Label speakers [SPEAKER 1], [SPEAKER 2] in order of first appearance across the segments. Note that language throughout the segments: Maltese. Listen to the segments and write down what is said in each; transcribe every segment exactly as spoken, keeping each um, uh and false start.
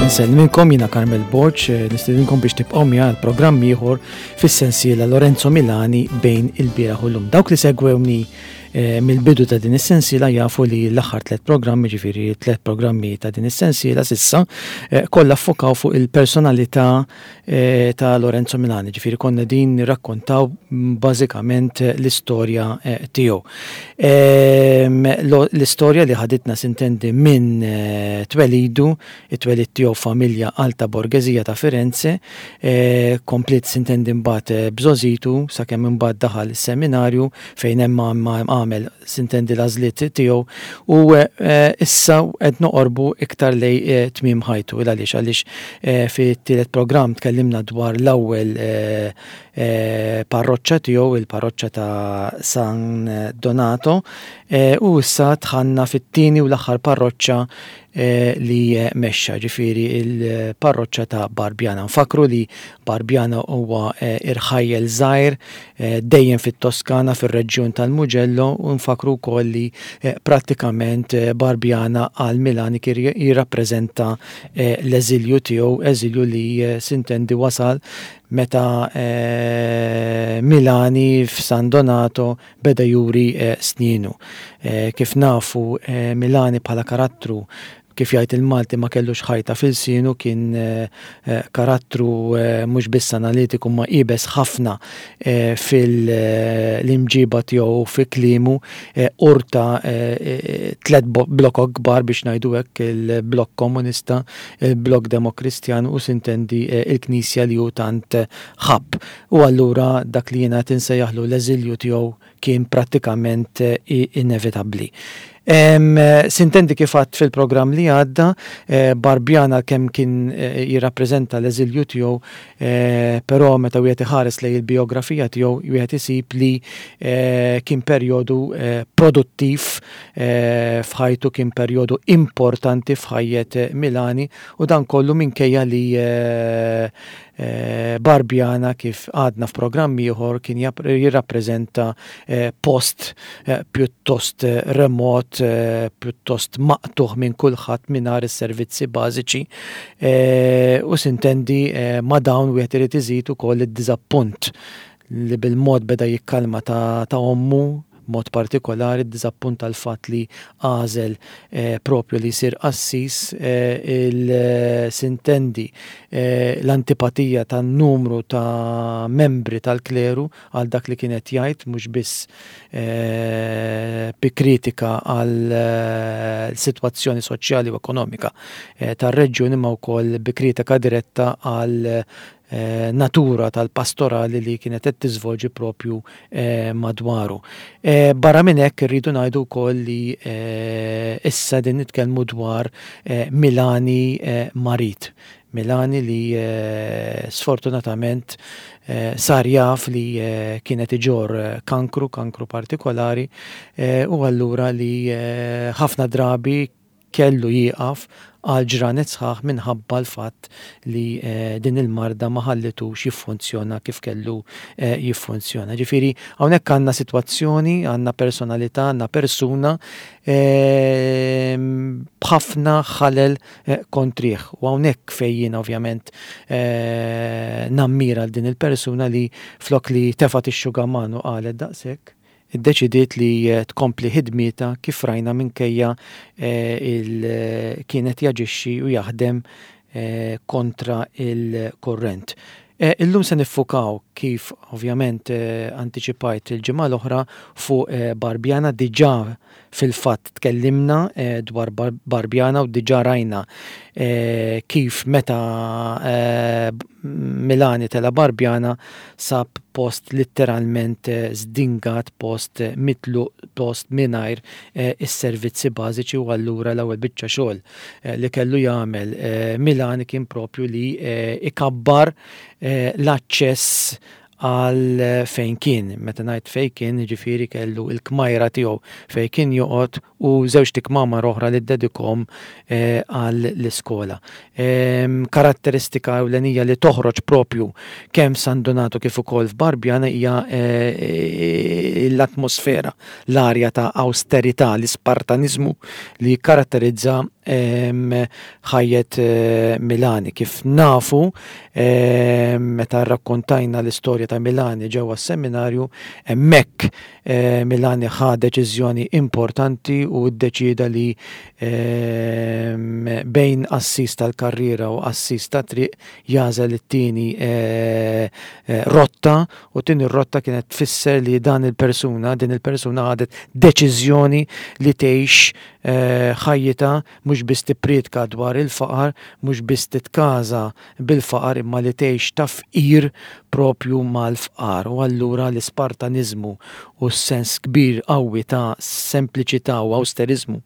[SPEAKER 1] Insellmilkom, jiena Carmel Borg, nistedinkom biex tibqgħu miegħi għal programm ieħor fis-sensiela Lorenzo Milani bejn il-bieraħ u llum. Dawk li segwewni eh, mill-bidu ta' din is-sensiela jafu li l-aħħar tliet programmi, ġifieri tliet programmi ta' din is-sensiela s'issa, eh, kollha ffokaw fuq il-personalità eh, ta' Lorenzo Milani, ġifieri konna din nirrakkontaw bażikament l-istorja tiegħu. Ehm, l-istorja li ħaditna, sintendi, minn twelidu, it-twelid tiegħu familja alta borgeżija ta' Firenze, kompliet, sintendi, mbagħad b'żgħożitu sakemm imbagħad daħal is-seminarju fejn hemm għamel, sintendi, l-għażliet tiegħu u issa qed noqorbu iktar lejn tmiem ħajtu. Għaliex għaliex fit-tielet programm tkellimna dwar l-ewwel parroċċa tiegħu, il-parroċċa ta' San Donato, u issa dħalna fit-tieni u l-aħħar parroċċa li mexxa, ġifieri il-parroċċa ta' Barbiana. Nfakru li Barbiana huwa irħajjel żgħir dejjem fit-Toskana, fir-reġjun tal-Mugello, u nfakru wkoll li prattikament Barbiana għal Milani kien jirrappreżenta l-eżilju tiegħu, eżilju li, sintendi, wasal meta Milani f'San Donato beda juri sninu. Kif nafu, Milani bħala karattru, kif jgħid il-Malti, ma kellux ħajta f'ilsienu, kien karattru mhux biss analitiku ma iebes ħafna fil-imġiba tiegħu, fi kliemu, urta tliet blokok kbar, biex ngħidu hekk: il-blokk komunista, il-blokk demokristjan u, sintendi, il-Knisja li hu tant ħabb. U allura dak li jiena insejjaħlu l-eżilju tiegħu kien prattikament inevitabbli. Sintendi, kif għedt fil-programm li għadda, Barbiana kemm kien jirrappreżenta l-eżilju tiegħu, però meta wieħed iħares lejn il-biografija tiegħu wieħed isib li kien perjodu produttiv f'ħajtu, kien perjodu importanti f'ħajjet Milani, u dan kollu minkejja li Barbiana, kif għedna f'programm ieħor, kien jirrappreżenta post pjuttost remot, pjuttost maqtugħ minn kulħadd, mingħajr is-servizzi bażiċi, u, sintendi, ma' dawn wieħed irid iżid ukoll id-diżappunt li bil-mod beda jikkalma ta', ta ommu, mod partikolari d-diżappunt tal-fatt li għażel propju li jsir qassis, il-sintendi l-antipatija tan-numru ta' membri tal-kleru għal dak li kienet jgħid, mhux biss bi kritika għal sitwazzjoni soċjali u ekonomika tar-reġjun imma wkoll bi kritika diretta għal natura tal-pastorali li kienet qed tiżvolġi propju madwaru. Barra minn hekk irridu ngħidu wkoll li issa din nitkellmu dwar Milani marid. Milani li sfortunatament sar jaf li kienet iġorr kankru, kankru partikolari, u allura li ħafna drabi kellu jieqaf għal ġranet sħaħ minħabba l-fatt li din il-marda ma ħallitux jiffunzjona kif kellu jiffunzjona. Ġifieri hawnhekk għandna sitwazzjoni, għandna personalità, għandna persuna b'ħafna ħalel kontrih. U hawnhekk fejn jiena ovvjament nammira din il-persuna li flok li tefgħet ix-xugaman u qalet daqshekk, iddeċidiet li tkompli ħidmietha, kif rajna, minkejja il kienet jaġixxi u jaħdem kontra il-kurrent. Illum se niffukaw, kif ovvjament antiċipajt il-ġimgħa l-oħra, fuq Barbiana. Diġà fil-fatt tkellimna dwar Barbiana u diġà rajna kif meta Milani tela' Barbiana sab post letteralment zdingat, post mitluq, post mingħajr is-servizzi bażiċi, u allura l-ewwel biċċa xogħol li kellu jagħmel Milani kien propju li ikabbar l-aċċess għal fejn kien. Meta ngħid fejn kien, ġifieri kellu il-kmajra tiegħu fejn kien joqgħod u żewġt ikmamar oħra li ddedikhom għal l-iskola. Karatteristika ewlenija li toħroġ propju kemm San Donato kif ukoll f'Barbiana hija l-atmosfera, l-arja ta' austerità, l-ispartanizmu li karatterizza ħajjet Milani. Kif nafu, meta rrakkontajna l-istorja ta' Milani ġewwa s-seminarju, hemmhekk Milani ħa deċiżjoni importanti u ddeċida li bejn qassis tal-karriera u qassis ta' triq jagħżel it-tieni rotta, u tieni rotta kienet tfisser li dan il-persuna, din il-persuna ħadet deċiżjoni li tgħix ħajjitha mhux biss tippriedka dwar il-faqar, mhux biss titkaża bil-faqar, imma li tgħix ta' fqir propju mal-fqar. U allura l-Ispartaniżmu u s-sens kbir qawwi ta' sempliċità u awsteriżmu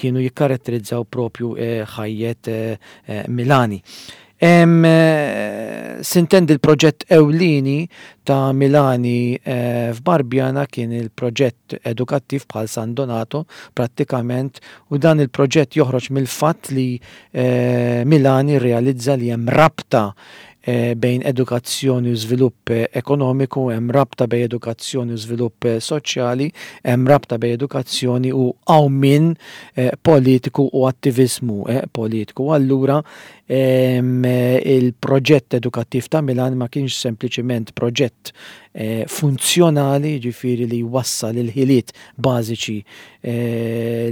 [SPEAKER 1] kienu jikkaratterizzaw propju ħajjet Milani. Sintendi l-proġett ewlieni ta' Milani f'Barbiana kien il-proġett edukattiv bħal San Donato prattikament, u dan il-proġett joħroġ mill-fatt li Milani realizza li hemm rabta bejn edukazzjoni u żvilupp ekonomiku, hemm rabta bejn edukazzjoni u żvilupp soċjali, hemm rabta bejn edukazzjoni u qawmien politiku u attiviżmu politiku. Allura il-proġett edukattiv ta' Milan ma kienx sempliċiment proġett funzjonali, ġifieri li jwassal il-ħiliet bażiċi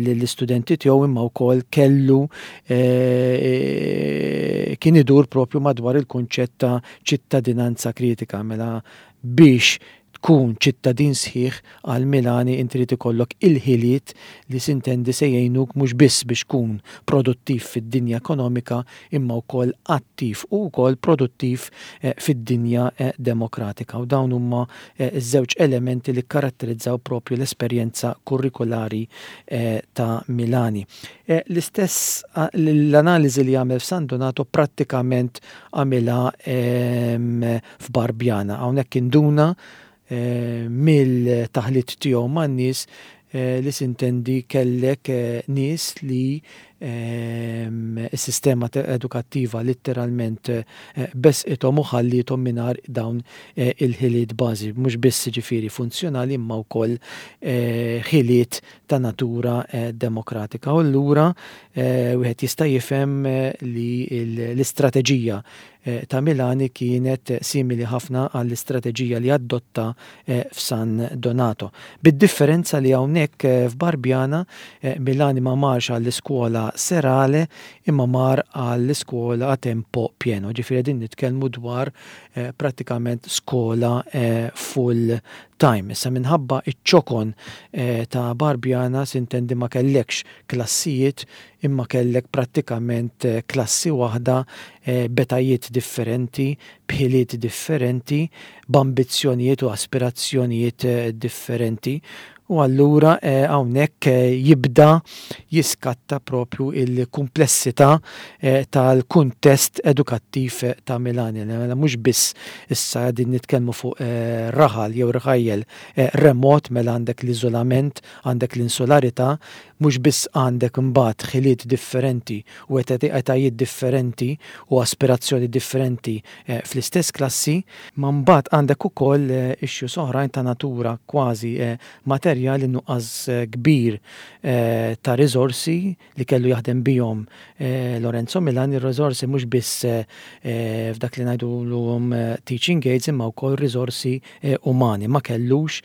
[SPEAKER 1] lill-istudenti tiegħu, imma wkoll kellu kien idur propju madwar il-kunċett ta' ċittadinanza kritika. Mela biex tkun ċittadin sħiħ għal Milani inti trid ikollok il-ħiliet li sintendi se jgħinuk mhux biss biex tkun produttiv fid-dinja ekonomika, imma wkoll attiv u wkoll produttiv fid-dinja demokratika. U dawn huma ż-żewġ elementi li karatterizzaw propju l-esperjenza kurrikulari ta' Milani. L-istess l-analiżi li għamel f'San Donato prattikament għamilha f'Barbiana. Hawnhekk induna mill-taħlit tiegħu man-nies li sintendi kellek nies li s-sistema edukattiva letteralment besqithom u ħallithom mingħajr dawn il-ħiliet bażi, mhux biss ġifieri funzjonali imma wkoll ħiliet ta' natura demokratika. U allura wieħed jista' jifhem li l-istrateġija ta' Milani kienet simili ħafna għall-istrateġija li adotta f'San Donato. Bid-differenza li hawnhekk f'Barbiana Milani ma marx għall-iskola serale imma mar għall-iskola a tempo pieno. Ġifieri din nitkellmu dwar prattikament skola full time. Issa minħabba iċ-ċokon ta' Barbiana sintendi ma kellekx klassijiet imma kellek prattikament klassi waħda b'etajiet differenti, b'ħiliet differenti, b'ambizzjonijiet u aspirazzjonijiet differenti. U allura hawnhekk jibda jiskatta propju il-kumplessità tal-kuntest edukattiv ta' Milani. Mela mhux biss issa qegħdin nitkellmu fuq raħal jew rħajjel remot, mela għandek l-iżolament, għandek l-insularità, mhux biss għandek imbagħad ħiliet differenti u etajiet differenti u aspirazzjoni differenti fl-istess klassi, ma mbagħad għandek ukoll issues oħrajn ta' natura kważi materjali, nuqqas kbir ta' riżorsi li kellu jaħdem bihom Lorenzo Milani, riżorsi mhux biss f'dak li ngħidulhom teaching aids imma wkoll riżorsi umani, ma kellux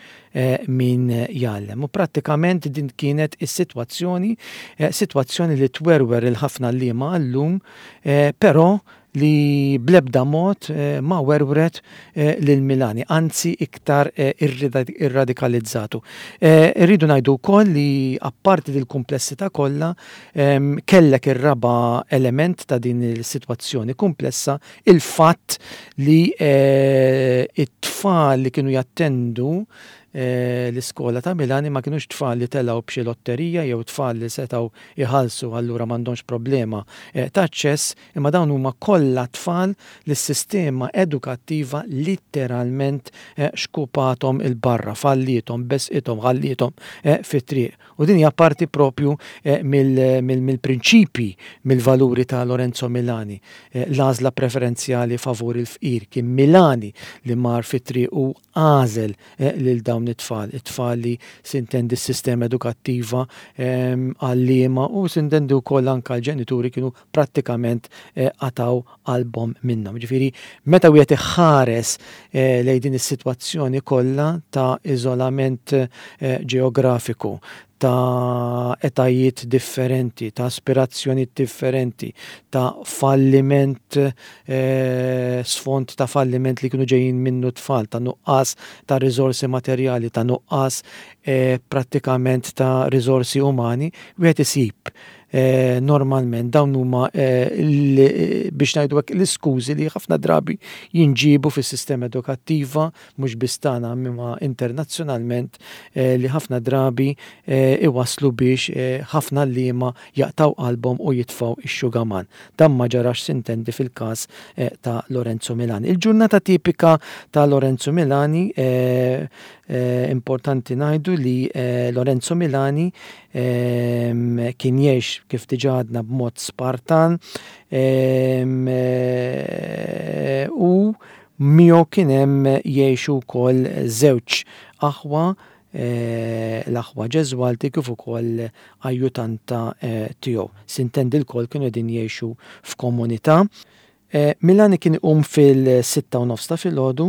[SPEAKER 1] min jgħallem. U prattikament din kienet is-sitwazzjoni, sitwazzjoni li twerwer il-ħafna għalliema għallum, però li bl-ebda mod ma werwret lil Milani, anzi iktar irradikalizzatu. Irridu ngħidu wkoll li apparti dil-kumplessità kollha kellek ir-raba' element ta' din is-sitwazzjoni komplessa, il-fatt li it-tfal li kienu jattendu l-iskola ta' Milani ma kienux tfal li telgħu b'xi lotterija jew tfal li setgħu jħallsu allura m'għandhomx problema ta' aċċess, imma dawn huma kollha tfal li s-sistema edukattiva letteralment xkupathom il-barra, fallithom, besqithom, ħallithom fit-triq. U din hija parti propju mill-prinċipi, mill-valuri ta' Lorenzo Milani. L-għażla preferenzjali favur il-fqir, kien Milani li mar fit-triq u għażel lil dawn dawn it-tfal, it-tfal li sintendi s-sistema edukattiva, għalliema u sintendi wkoll anke l-ġenituri kienu prattikament qatgħu qalbhom minnhom. Ġifieri meta wieħed iħares lejn din is-sitwazzjoni kollha ta' iżolament ġeografiku, ta' etajiet differenti, ta' aspirazzjonijiet differenti, ta' falliment, eh, sfond ta' falliment li kienu ġejjin minnu tfal, ta' nuqqas ta' riżorsi materjali, ta' nuqqas eh, prattikament ta' riżorsi umani, wieħed isib eh, normalment dawn huma eh, biex ngħidu hekk l-iskużi li ħafna drabi jinġibu fis-sistema edukattiva, mhux biss tagħna imma internazzjonalment, eh, li ħafna drabi eh, iwaslu biex eh, ħafna għalliema jaqtgħu qalbhom u jitfgħu ix-xugaman. Dan ma ġarax, sintendi, fil-każ eh, ta' Lorenzo Milani. Il-ġurnata tipika ta' Lorenzo Milani, eh, eh, importanti ngħidu li eh, Lorenzo Milani eh, kien jgħix, kif diġà għadna, b'mod spartan eh, u miegħu kien hemm jgħixu wkoll żewġ aħwa, eh, l-aħwa Ġeżwalti, kif ukoll ajjutanta eh, tiegħu. Sintendi lkoll kienu qegħdin jgħixu f'komunità. Eh, Milani kien iqum fil-sitta u nofs ta' filgħodu,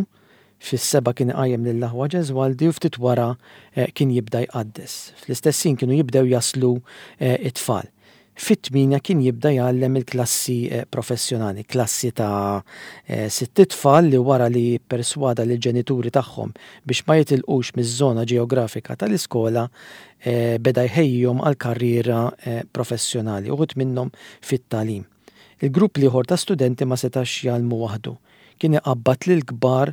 [SPEAKER 1] fis-sebgħa kien iqajjem lill-aħwa Ġeżwaldi u ftit wara eh, kien jibda jqaddes. Fl-istess ħin kienu jibdew jaslu eh, it-tfal. Fit-tmienja kien jibda jgħallem il-klassi eh, professjonali, klassi ta' eh, sitt tfal li wara li perswada lil ġenituri tagħhom biex ma jitilqux miż-żona ġeografika tal-iskola, eh, beda jħejjihom għal karriera professjonali, uħud minnhom fit-tagħlim. Il-grupp l-ieħor ta' studenti ma setax jgħallmu waħdu. Kien iqabbad lil kbar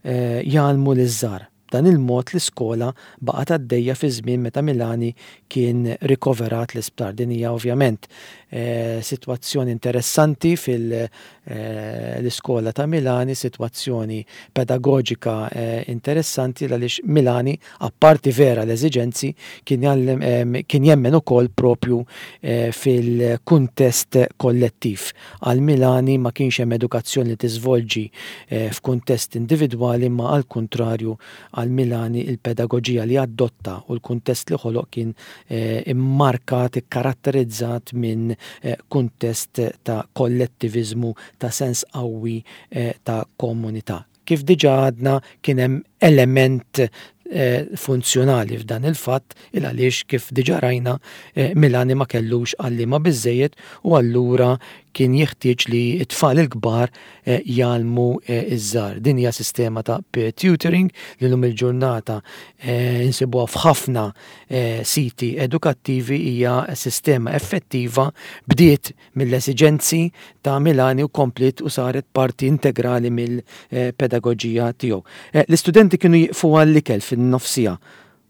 [SPEAKER 1] jgħallmu liż-żgħar. Dan il-mod l-iskola baqgħet għaddejja fi żmien meta Milani kien rikoverat l-isptar. Din hija ovvjament eh, sitwazzjoni interessanti fil-iskola ta' Milani, sitwazzjoni pedagoġika eh, interessanti għaliex Milani, apparti vera l-eżiġenzi, kien jgħallem, eh, kien jemmen ukoll propju eh, fil-kuntest kollettiv. Għal Milani ma kienx hemm edukazzjoni li tiżvolġi eh, f'kuntest individwali, ma għal kontrarju, għal Milani il-pedagoġija li adotta u l-kuntest li ħoloq kien eh, immarkat, ikkaratterizzat minn eh, kuntest ta' kollettivizmu, ta' sens qawwi eh, ta' komunità. Kif diġà għadna, kien hemm element eh, funzjonali f'dan il-fatt, il għaliex kif diġà rajna, eh, Milani ma kellux għalliema biżejjed u allura kien jeħtieġ li t-tfal il-kbar eh, jgħallmu eh, iż-żgħar. Din hija sistema ta' peer tutoring li lum il-ġurnata eh, insibuha f'ħafna eh, siti edukattivi. Hija sistema effettiva, bdiet mill-esiġenzi ta' Milani u kompliet u saret parti integrali mill-pedagoġija tiegħu. Eh, L-istudenti kienu jiqfu għall-ikel fin-nofs siegħa.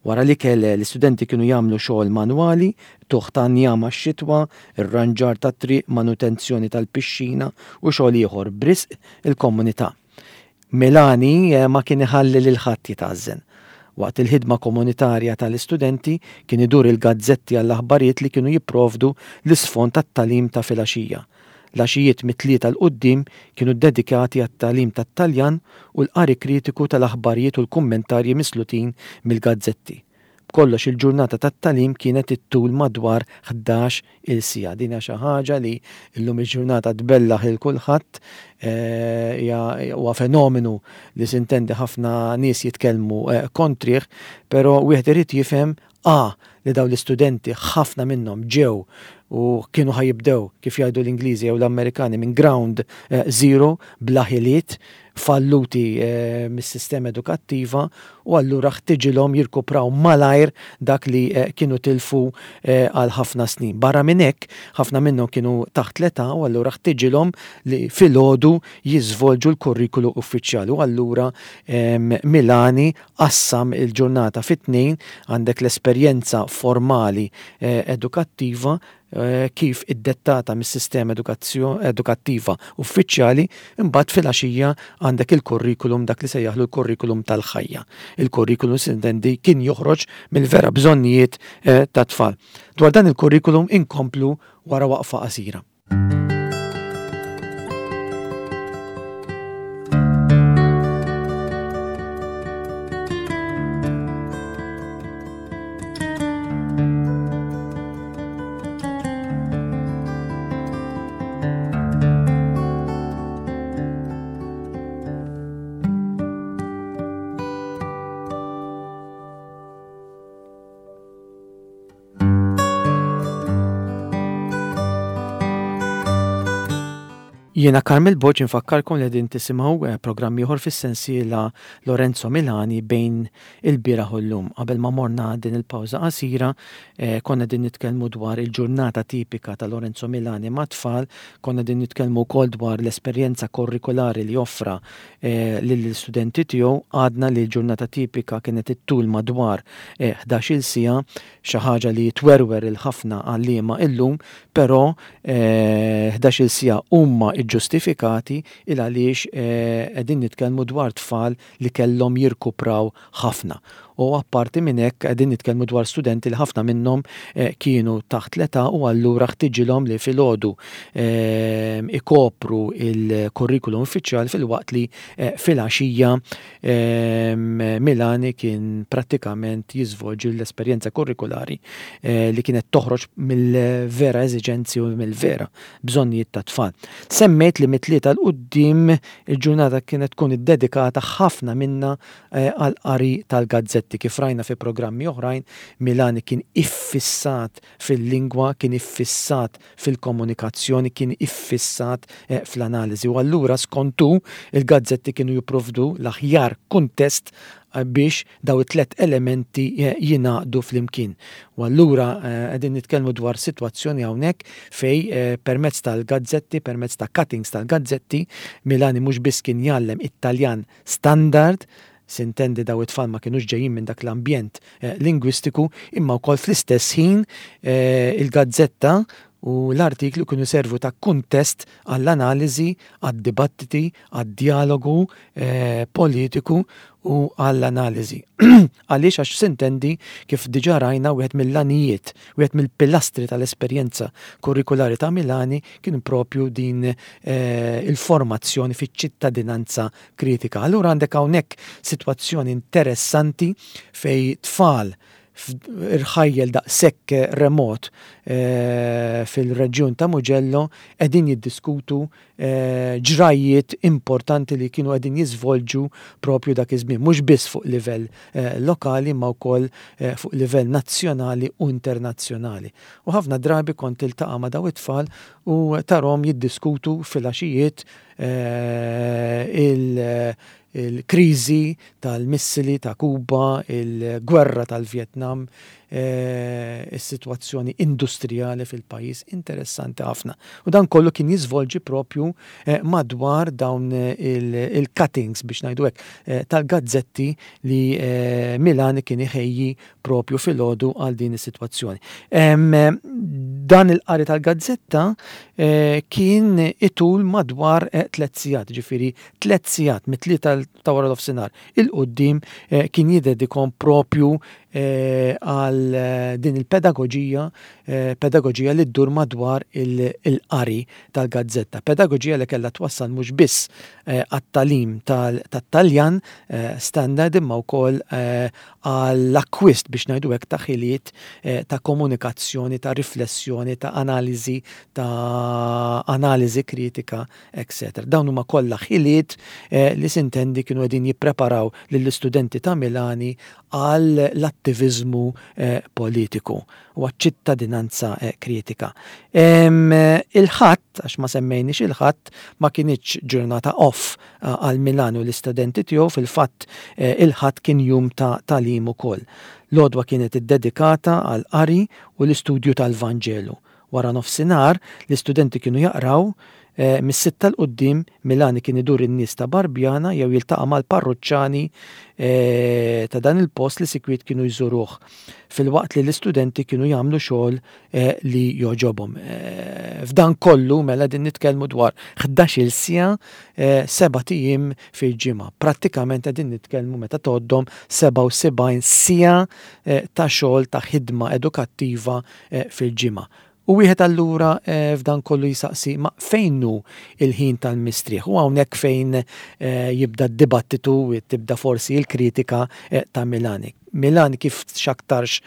[SPEAKER 1] Wara l-ikel l-istudenti kienu jagħmlu xogħol manwali, qtugħ ta' njam għax-xitwa, ir-ranġar tat-triq, manutenzjoni tal-pixxina u xogħol ieħor b'risq il-komunità. Milani eh, ma kien iħalli lil ħadd jitgħażżen. Waqt il-ħidma komunitarja tal-istudenti kien idur il-gazzetti għall-aħbarijiet li kienu jipprovdu l-isfond tat-tagħlim ta' filgħaxija. L-għaxijiet mit-tlieta 'l quddiem kienu dedikati għat-tagħlim tat-Taljan u l-qari kritiku tal-aħbarijiet u l-kummentarji mislutin mill-gazzetti. B'kollox il-ġurnata tat-tagħlim kienet ittul madwar ħdax il siegħa. Din hija xi ħaġa li llum il-ġurnata tbellaħ il kulħadd, eh, hija huwa fenomenu li sintendi ħafna nies jitkellmu eh, kontrih, però wieħed irid jifhem a li daw l-istudenti ħafna minnhom ġew u kienu ħa jibdew, kif jgħidu l-Ingliżi jew l-Amerikani, minn ground eh, zero, bla ħiliet, falluti eh, mis-sistema edukattiva, u allura ħtiġilhom jirkupraw malajr dak li eh, kienu tilfu eh, għal ħafna snin. Barra minn hekk, ħafna minnhom kienu taħt l-età u allura ħtiġilhom li filgħodu jiżvolġu l-kurrikulu uffiċjali u allura em, Milani qassam il-ġurnata fit-tnejn: għandek l-esperjenza formali eh, edukattiva eh, kif iddettata mis-sistema edukattiva uffiċjali, imbagħad filgħaxija għandek il-kurrikulum, dak li sejjaħlu l-kurrikulum tal-ħajja. Il-kurrikulum, sintendi, kien joħroġ mill-vera bżonnijiet eh, ta' tfal. Dwar dan il-kurrikulum inkomplu wara waqfa qasira. Jiena Carmel Borg, infakkarkom li qegħdin tisimgħu eh, programm ieħor fis-sensiela Lorenzo Milani bejn il-bieraħ u llum. Qabel ma morna din il-pawża qasira, eh, konna din nitkellmu dwar il-ġurnata tipika ta' Lorenzo Milani ma' tfal, konna din nitkellmu wkoll dwar l-esperjenza kurrikulari li offra eh, lill-istudenti tiegħu. Għadna li l-ġurnata tipika kienet ittul madwar ħdax-il siegħa, xi ħaġa li twerwer il-ħafna għalliema illum, però ħdax-il siegħa huma ġustifikati il għaliex qegħdin nitkellmu dwar tfal li kellhom jirkupraw ħafna. U apparti minn hekk, qegħdin nitkellmu dwar studenti li ħafna minnhom kienu taħt l-età u allura ħtiġilhom li filgħodu ikopru il-kurrikulum uffiċjali, filwaqt li filgħaxija Milani kien prattikament jiżvolġi l-esperjenza kurrikulari li kienet toħroġ mill-vera eżiġenzi u mill-vera bżonnijiet ta' tfal. Semmejt li mit-tlieta 'l quddiem il-ġurnata kienet tkun iddedikata ħafna minna għal qari tal-gazzetti. Kif rajna fi programmi oħrajn, Milani kien iffissat fil-lingwa, kien iffissat fil-komunikazzjoni, kien iffissat fl-analiżi. U allura skontu il-gazzetti kienu jipprovdu l-aħjar kuntest biex daw it-tlet elementi jingħaqdu flimkien. U allura qegħdin nitkellmu dwar sitwazzjoni hawnhekk fej permezz tal-gazzetti, permezz ta' cuttings tal-gazzetti, Milani mhux biss kien jgħallem Italjan standard, sintendi daw it-tfal ma kienux ġejjin minn dak l-ambjent lingwistiku, imma wkoll fl-istess ħin il-gazzetta u l-artiklu kienu servu ta' kuntest għall-analiżi, għad-dibattiti, għad-dialogu politiku u għall-analiżi. Għaliex? Għax sintendi, kif diġà rajna, wieħed mill-għanijiet, wieħed mill-pilastri tal-esperjenza kurrikulari ta' Milani kien propju din il-formazzjoni fiċ-ċittadinanza kritika. Allura għandek hawnhekk sitwazzjoni interessanti fej tfal irħajjel daqshekk remot fil-reġjun ta' Mugello qegħdin jiddiskutu ġrajiet importanti li kienu qegħdin jiżvolġu propju dak iż-żmien, mhux biss fuq livell lokali ma wkoll fuq livell nazzjonali u internazzjonali. U ħafna drabi kont tiltaqa' ma' daw it-tfal u tarahom jiddiskutu fil-għaxijiet il-kriżi tal-missili ta' Kuba, il-gwerra tal-Vietnam, is-sitwazzjoni industrijali fil-pajjiż, interessanti ħafna. U dan kollu kien jiżvolġi propju madwar dawn il-cuttings, biex ngħidu hekk, tal-gazzetti li Milani kien iħejji propju filgħodu għal din is-sitwazzjoni. Dan il-qari tal-gazzetta kien itul madwar tliet sigħat, ġifieri tliet sigħat mit-tlieta ta' wara nofsinhar 'il quddiem kien jiddedikhom propju għal din il-pedagoġija, pedagoġija li ddur madwar il-qari tal-gazzetta. Pedagoġija li kellha twassal mhux biss għat-tagħlim tat-Taljan standard, imma wkoll għall-akkwist, biex ngħidu hekk, ta' ħiliet ta' komunikazzjoni, ta' riflessjoni, ta' analiżi, ta' analiżi kritika, eccetera. Dawn huma kollha ħiliet li sintendi kienu qegħdin jippreparaw lill-istudenti ta' Milani għal l-attiviżmu politiku u għaċ-ċittadinanza kritika. Il-Ħadd, għax ma semmejniex il-Ħadd, ma kinitx ġurnata off għal Milani u l-istudenti tiegħu, fil-fatt il-Ħadd kien jum ta' tagħlim ukoll. L-għodwa kienet iddedikata għal qari u l-istudju tal-Vanġelu. Wara nofsinhar l-istudenti kienu jaqraw. Mis-sitta 'l quddiem Milani kien idur in-nies ta' Barbjana jew jiltaqa' mal-parruċċani ta' dan il-post li sikwit kienu jżuruh, filwaqt li l-istudenti kienu jagħmlu xogħol li jogħġobhom. F'dan kollu mela din nitkellmu dwar ħdax-il siegħa, sebat ijiem fil-ġimgħa. Prattikament qegħdin nitkellmu, meta tgħoddhom, sebgħa u sebgħin siegħa ta' xogħol, ta' ħidma edukattiva fil-ġimgħa. U wieħed allura f'dan kollu jisaqsi, ma fejn hu il-ħin tal-mistrieħ? U hawnhekk fejn jibda d-dibattitu, tibda forsi l-kritika ta' Milani. Milani, kif x'aktarx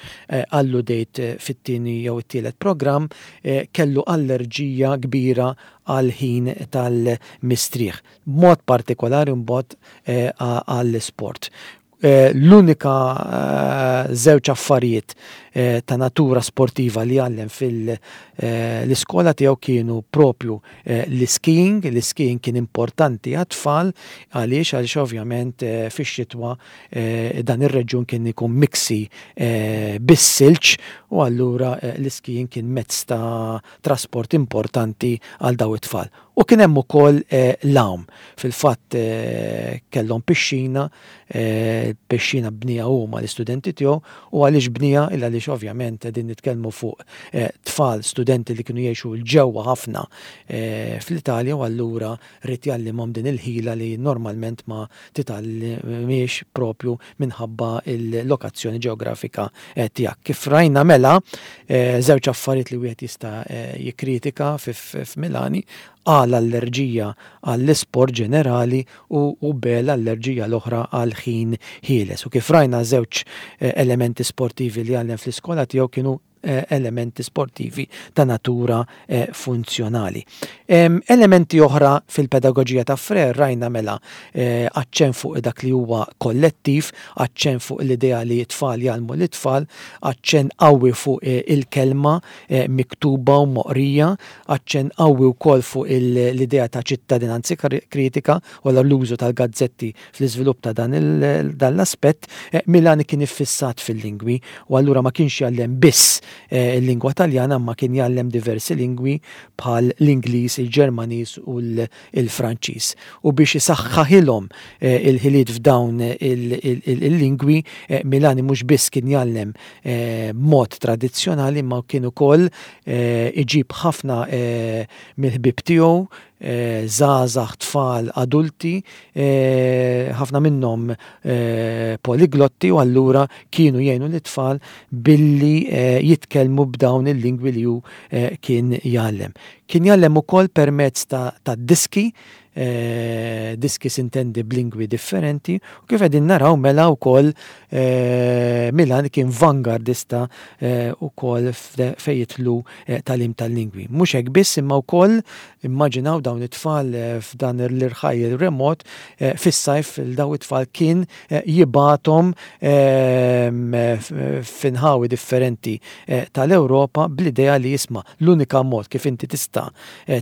[SPEAKER 1] alludejt fit-tieni jew it-tielet programm, kellu allerġija kbira għal ħin tal-mistrieħ. Mod partikolari mbagħad għall-isport. L-unika żewġ affarijiet ta' natura sportiva li għallem fil-iskola tiegħu kienu propju l-skiing. L-skiing kien importanti għat-tfal. Għaliex? Għaliex ovvjament fix-xitwa dan ir-reġjun kien ikun miksi bis-silġ u allura l-skiing kien mezz ta' trasport importanti għal daw it-tfal. U kien hemm ukoll l-għawm. Fil-fatt kellhom pixxina, pixxina bnieha huma l-istudenti tiegħu. U għaliex bnieha? Illa għaliex ovvjament qegħdin nitkellmu fuq tfal studenti li kienu jgħixu 'l ġewwa ħafna fl-Italja u allura ried jgħallimhom din il-ħila li normalment ma titgħallimhiex propju minħabba il-lokazzjoni ġeografika tiegħek. Kif rajna mela, żewġ affarijiet li wieħed jista' jikkritika f'Milani: A, l-allerġija għall-isport ġenerali, u B, l-allerġija l-oħra għal ħin ħieles. U kif rajna, żewġ elementi sportivi li għallem fl-iskola tiegħu kienu elementi sportivi ta' natura funzjonali. Elementi oħra fil-pedagogija ta' Freire rajna mela aċċen fuq dak li huwa kollettiv, aċċen fuq l-idea li t-tfal jgħallmu l-tfal, aċċen qawwi fuq il-kelma miktuba u moqrija, aċċen qawwi wkoll fuq l-idea ta' ċittadinanza kritika u l-użu tal-gazzetti fl-iżvilupp ta' dan l-aspett. Milani kien iffissat fil-lingwi u allura ma kienx jgħallem biss il-lingwa Taljana, ma kien jgħallem diversi lingwi bħal l-Ingliż, il-Ġermaniż u l-Franċiż. U biex isaħħaħilhom il-ħiliet f'dawn il-lingwi, Milani mhux biss kien jgħallem mod tradizzjonali, ma kien ukoll iġib ħafna mill-ħbieb tiegħu, żgħażagħ, tfal, adulti, ħafna minnhom poliglotti, u allura kienu jgħinu l-tfal billi jitkellmu b'dawn il-lingwi li hu kien jgħallem. Kien jgħallem ukoll permezz ta' diski, diski sintendi b'lingwi differenti, u kif qegħdin naraw mela wkoll Milani kien vangardista ukoll fejn jidħlu tagħlim tal-lingwi. Mhux hekk biss, imma wkoll immaġinaw dawn it-tfal f'dan l-irħajjel remot fis-sajf, daw it-tfal kien jibgħathom f'inħawi differenti tal-Ewropa bl-idea li jisma' l-unika mod kif inti tista'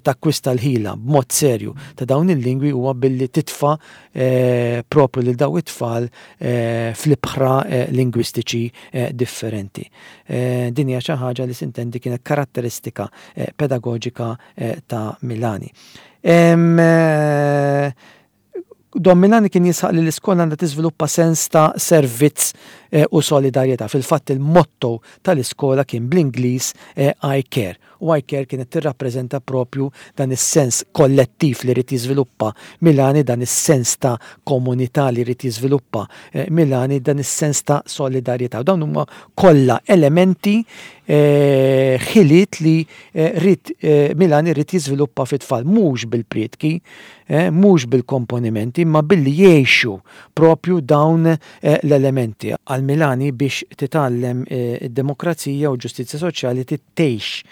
[SPEAKER 1] takkwista l-ħila b'mod serju ta' dawn il-lingwi huwa billi titfa' propju lil daw it-tfal fl-ibħra lingwistiċi differenti. Din hija xi ħaġa li sintendi kienet karatteristika pedagoġika ta' Milani. Don Milani kien jisħaq li l-iskola għandha tiżviluppa sens ta' servizz u solidarjetà. Fil-fatt il-motto tal-iskola kien bl-Ingliż "I care". U "I care" kienet tirrappreżenta propju dan is-sens kollettiv li rid jiżviluppa Milani, dan is-sens ta' komunità li rid jiżviluppa Milani, dan is-sens ta' solidarjetà. Dawn huma kollha elementi, ħiliet li rid Milani rid jiżviluppa fit-tfal, mhux bil-prietki, mhux bil-komponimenti, imma billi jgħixu propju dawn l-elementi. Għal Milani, biex titgħallem id-demokrazija u ġustizzja soċjali tgħix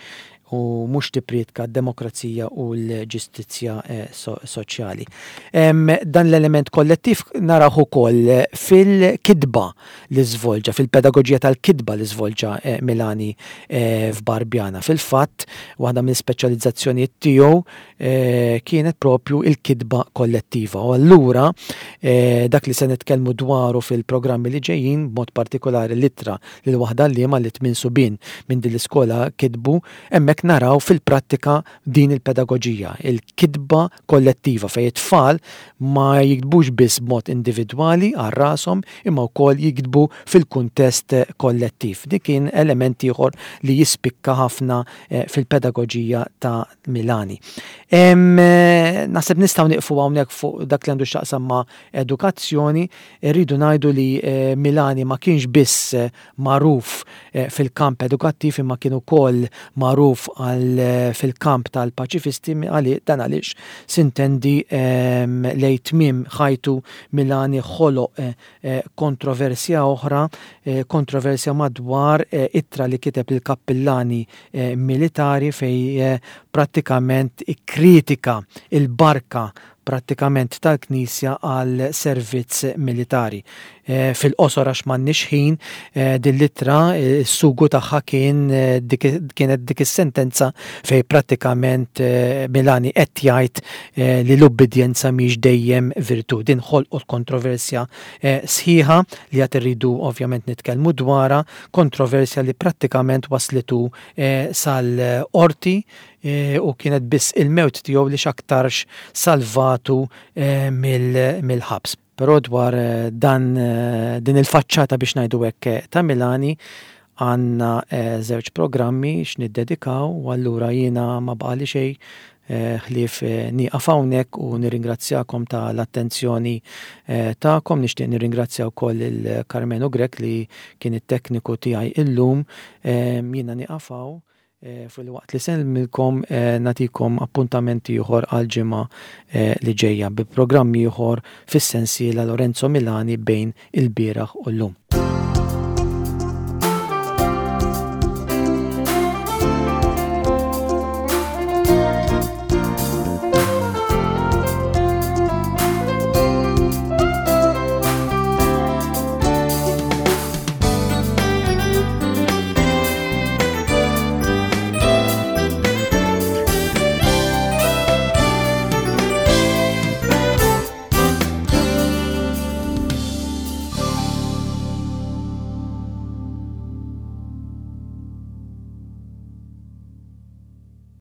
[SPEAKER 1] u mhux tipprietka d-demokrazija u l-ġustizzja soċjali. Dan l-element kollettiv naraw ukoll fil-kitba li żvolġa, fil-pedagoġija tal-kitba li żvolġa Milani f'Barbiana. Fil-fatt, waħda mill-speċjalizzazzjonijiet tiegħu kienet propju il-kitba kollettiva. U allura dak li se nitkellmu dwaru fil-programmi li ġejjin, b'mod partikolari l-ittra lil waħda għalliema li tmien subien minn din l-iskola kitbu, hemmhekk naraw fil-prattika din il-pedagoġija, il-kitba kollettiva fejn it-tfal ma jiktbux biss b'mod individwali għal rashom, imma wkoll jiktbu fil-kuntest kollettiv. Dik kien element ieħor li jispikka ħafna fil-pedagoġija ta' Milani. Naħseb nistgħu nieqfu hawnhekk fuq dak li għandu x'jaqsam ma' edukazzjoni. Irridu ngħidu li Milani ma kienx biss magħruf fil-kamp edukattiv, imma kien ukoll magħruf għal fil-kamp tal-paċifisti. Dan għaliex sintendi lejn tmiem ħajtu Milani ħoloq kontroversja oħra, kontroversja madwar ittra li kiteb lill-kappillani militari fejn prattikament ikkritika il-barka Prattikament tal-Knisja għal servizz militari. Eh, fil-qosor għax m'għandniex ħin, eh, din l-ittra s-sugu tagħha kien kienet dik is-sentenza fej prattikament Milani qed jgħid li l-ubbidjenza mhix dejjem virtù. Din ħolqot kontroversja sħiħa li għad irridu ovvjament nitkellmu dwarha, kontroversja li prattikament waslitu sal-qorti u kienet biss il-mewt tiegħu li x'aktarx salvatu mill-ħabs. Però dwar dan din il-faċċata, biex ngħidu hekk, ta' Milani għandna żewġ programmi x'niddedikaw u allura jiena ma baqali xejn ħlief nieqaf hawnhekk u nirringrazzjakom tal-attenzjoni tagħkom. Nixtieq nirringrazzja wkoll il Carmenu Grech li kien it-tekniku tiegħi illum. Jiena nieqaf hawn fil-waqt li nsellmilkom, nagħtikom appuntament ieħor għal ġimgħa li ġejja bi programm ieħor fis-sensiela Lorenzo Milani bejn il-bieraħ u llum.